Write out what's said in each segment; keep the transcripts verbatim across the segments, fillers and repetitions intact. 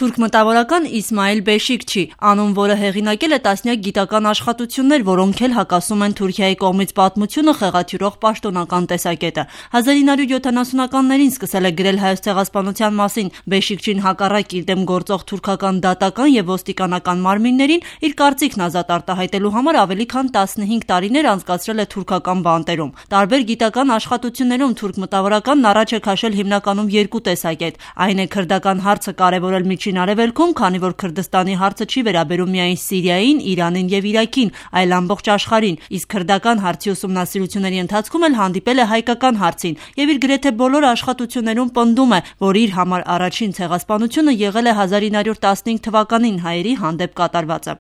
Թուրք մտավորական Իսմայիլ Բեշիկչի, անուն, որը հեղինակել է տասնյակ գիտական աշխատություններ, որոնք էլ հակասում են Թուրքիայի կողմից պատմությունը խեղաթյուրող պաշտոնական տեսակետը։ հազար ինը հարյուր յոթանասունականներին սկսել է գրել Հայոց ցեղասպանության մասին։ Բեշիկչին հակառակ իր դեմ գործող թուրքական դատական եւ ոստիկանական մարմիններին իր կարծիքն ազատ արտահայտելու համար ավելի քան տասնհինգ տարիներ անցկացրել է թուրքական բանտերում։ Տարբեր գիտական աշխատություններում թուրք մտավորականն առաջ է քաշել հիմնականում երկու տեսակետ։ Այն է քրդական հարցը կարևորել Միջին Արևելքում, քանի որ Քրդստանի հարցը չի վերաբերում միայն Սիրիային, Իրանին եւ Իրաքին, այլ ամբողջ աշխարհին, իսկ քրդական հարցի ուսումնասիրությունների ընթացքում էլ հանդիպել է հայկական հարցին եւ իր գրեթե բոլոր աշխատություններում պնդում է, որ իր համար առաջին ցեղասպանությունը եղել է հազար ինը հարյուր տասնհինգ թվականին հայերի հանդեպ կատարվածը։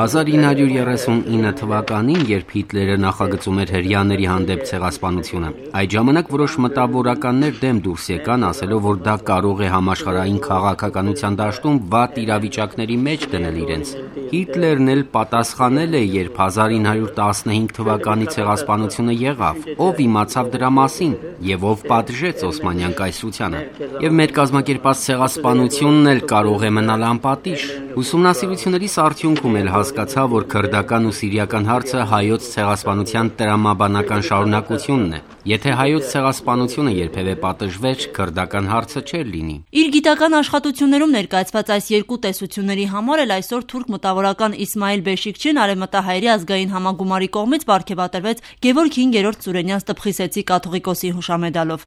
հազար ինը հարյուր երեսունինը թվականին, երբ Հիտլերը նախագծում էր հրեաների հանդեպ ցեղասպանությունը, այդ ժամանակ որոշ մտավորականներ դեմ դուրս եկան, ասելով, որ դա կարող է համաշխարհային քաղաքականության դաշտում վատ իրավիճակների մեջ դնել իրենց։ Հիտլերն էլ պատասխանել է, երբ հազար ինը հարյուր տասնհինգ թվականի ցեղասպանությունը եղավ, ով իմացավ դրա մասին եւ ով պատժեց Օսմանյան կայսրությանը։ Եվ մեր կազմակերպած ցեղասպանությունն էլ կարող է մնալ անպատիժ։ Ուսումնասիրություններիս արդյունքում էլ հասկացա, որ քրդական ու սիրիական հարցը հայոց ցեղասպանության տրամաբանական շարունակությունն է։ Եթե հայոց ցեղասպանությունը երբևէ պատժվեր, քրդական հարցը չէր լինի։ Իր գիտական աշխատություններում ներկայացված այս երկու տեսությունների համար էլ այսօր թուրք մտավորական Իսմայիլ Բեշիկչին արևմտահայերի ազգային համագումարի կողմից պարգևատրվեց Գևորգ հինգերորդ Ծուրենյան Ստփխիսեցի կաթողիկոսի հուշամեդալով։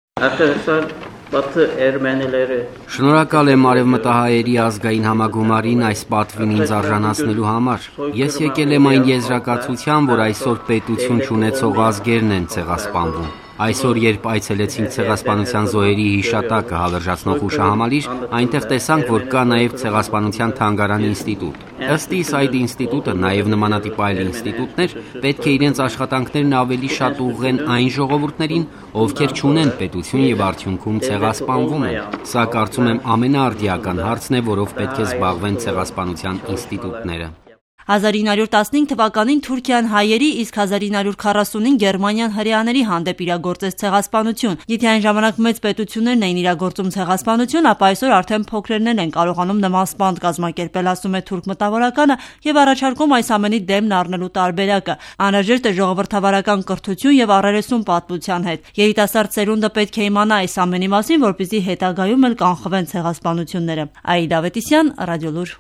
Շնորհակալ եմ արևմտահայերի ազգային համագումարին այս պատվին ինձ արժանացնելու համար։ Ես եկել եմ այն եզրակացության, որ այսօր պետություն չունեցող ազգերն են ցեղասպանվում։ Այսօր, երբ այցելեցինք ցեղասպանության զոհերի հիշատակը հավերժացնող հուշահամալիր, այնտեղ տեսանք, որ կա նաև ցեղասպանության թանգարան ինստիտուտ։ Ըստ իս այդ ինստիտուտը, նաև նմանատիպ այլ ինստիտուտներ, պետք է իրենց աշխատանքներն ավելի շատ ուղղեն այն ժողովուրդներին, ովքեր չունեն պետություն եւ արդյունքում ցեղասպանվում են։ Սա կարծում եմ ամենաարդիական հարցն է, որով պետք է զբաղվեն ցեղասպանության ինստիտուտները։ հազար ինը հարյուր տասնհինգ թվականին Թուրքիան հայերի, իսկ հազար ինը հարյուր քառասունին Գերմանիան հրեաների հանդեպ իրագործեց ցեղասպանություն։ Եթե այն ժամանակ մեծ պետություններն էին իրագործում ցեղասպանություն, ապա այսօր արդեն փոքրերն են կարողանում նման սպանդ կազմակերպել, ասում է թուրք մտավորականը եւ առաջարկում այս ամենի դեմն առնելու տարբերակը։ Անհրաժեշտ է ժողովրդավարական կրթություն եւ առերեսում պատմության հետ։ Երիտասարդ սերունդը պետք է իմանա այս ամենի մասին, որպեսզի հետագայում էլ կանխվեն ցեղասպանությունները։ Աիդա Ավետիսյան, Ռադիոլուր։